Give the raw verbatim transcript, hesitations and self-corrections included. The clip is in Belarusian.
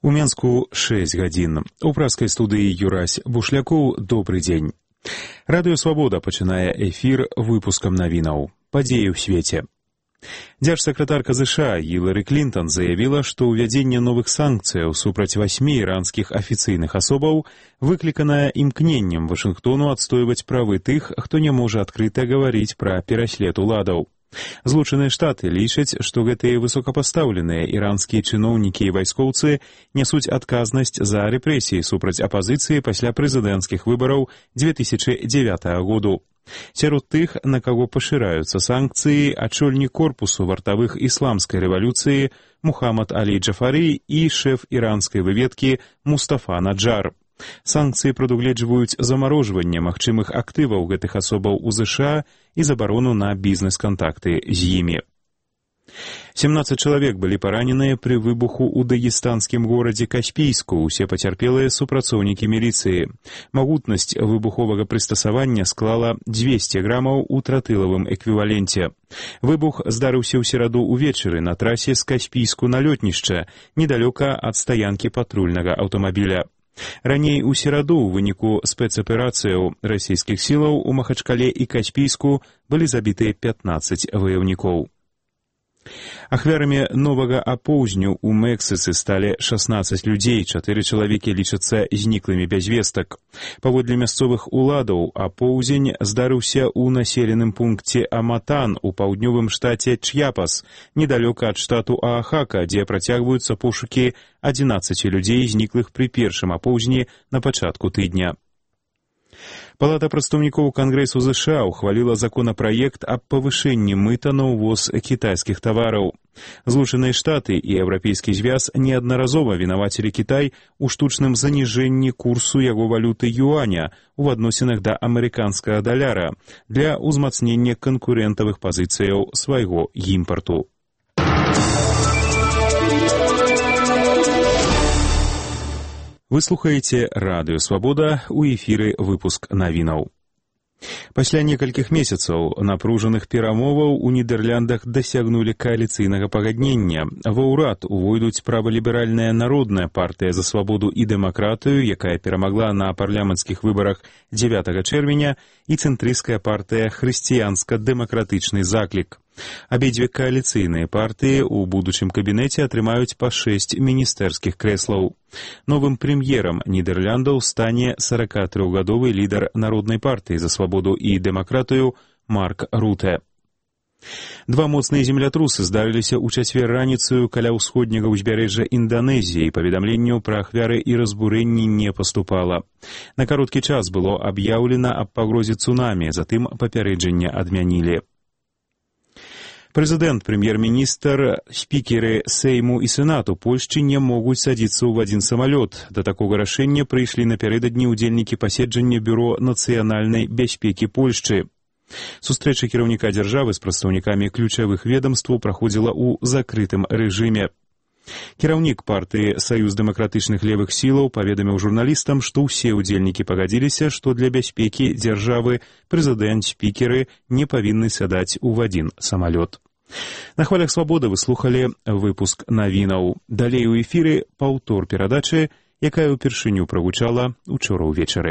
У Менску шесть гадзін. У праскай студыі Юрась Бушлякоў. Добры дзень. Радыё Свабода пачынае эфір выпускам навінаў. Падзеі ў свеце. Дзяржсакратарка ЗША Гілары Клінтон заявіла, што ўвядзенне новых санкцыяў супраць васьмі іранскіх афіцыйных асобаў выкліканае імкненнем Вашынгтону адстойваць правы тых, хто не можа адкрыта гаварыць пра пераслед уладаў. Злучаныя Штаты лічаць, што гэтыя высокапастаўленыя іранскія чыноўнікі і вайскоўцы нясуць адказнасць за рэпрэсіі супраць апазіцыі пасля прэзідэнцкіх выбараў дзве тысячы дзевятага году. Сярод тых, на каго пашыраюцца санкцыі, ачольнік корпусу вартавых ісламскай рэвалюцыі Мухаммад Алі Джафары і шэф іранскай выведкі Мустафа Наджар. Санкцыі прадугледжваюць замарожванне магчымых актываў гэтых асобаў у ЗША і забарону на бізнес-кантакты з імі. семнадцаць чалавек былі параненыя пры выбуху ў дагестанскім горадзе Каспійску, усе пацярпелыя супрацоўнікі міліцыі. Магутнасць выбуховага прыстасавання склала дзвесце грамаў у тротылавым эквіваленце. Выбух здарыўся ў сераду ўвечары на трасе з Каспійску на лётнішча, недалёка ад стаянкі патрульнага аўтамабіля. Раней у сераду ў выніку спецаперацыяў расійскіх сілаў у Махачкале і Каспійску былі забітыя пятнаццаць ваяўнікоў. Ахвярамі новага апоўзню ў Мексіцы сталі шаснаццаць людзей, чатыры чалавекі лічацца зніклымі без вестак. Паводле мясцовых уладаў, апоўзень здарыўся ў населеным пункце Аматан у паўднёвым штаце Чьяпас, недалёка ад штату Аахака, дзе працягваюцца пошукі адзінаццаці людзей, зніклых пры першым апоўзні на пачатку тыдня. Палата прадстаўнікоў Кангрэсу ЗША ухваліла законапраект аб павышэнні мыта на ўвоз кітайскіх тавараў. Злучаныя Штаты і Еўрапейскі звяз неаднаразова вінавацілі Кітай у штучным заніжэнні курсу яго валюты юаня ў адносінах да амерыканскага даляра для ўзмацнення канкурэнтавых пазіцыяў свайго імпарту. Вы слухаеце Радыё Свабода, у эфіры выпуск навінаў. Пасля некалькіх месяцаў напружаных перамоваў у Нідерландах дасягнулі кааліцыйнага пагаднення. Ва ўрад увойдуць праваліберальная народная партыя за свабоду і дэмакратыю, якая перамагла на парламенцкіх выбарах дзевятага чэрвеня, і цэнтрысцкая партыя хрысціянска-дэмакратычны заклік. Абедзве кааліцыйныя партыі ў будучым кабінеце атрымаюць па шэсць міністэрскіх крэслаў. Новым прэм'ерам Нідерландаў стане саракатрохгадовы лідар народнай партыі за свабоду і дэмакратыю Марк Руте. Два моцныя землятрусы здарыліся ў чацвер раніцаю каля ўсходняга ўзбярэжжа Інданезіі, паведамленняў пра ахвяры і разбурэнні не паступала. На кароткі час было аб'яўлена аб пагрозе цунамі, затым папярэджанне адмянілі. Прэзідэнт, прэм'ер-міністр, спікеры Сейму і Сенату Польшчы не могуць садзіцца ў адзін самалёт. Да такога рашэння прыйшлі напярэдадні ўдзельнікі паседжання Бюро нацыянальнай бяспекі Польшчы. Сустрэча кіраўніка дзяржавы з прадстаўнікамі ключавых ведамстваў праходзіла ў закрытым рэжыме. Кіраўнік партыі Саюз дэмакратычных левых сілаў паведаміў журналістам, што ўсе ўдзельнікі пагадзіліся, што для бяспекі дзяржавы прэзідэнт, спікеры не павінны сядаць у адзін самалёт. На хвалях Свабоды вы слухалі выпуск навінаў. Далей у эфіры паўтор перадачы, якая ўпершыню прагучала учора ўвечары.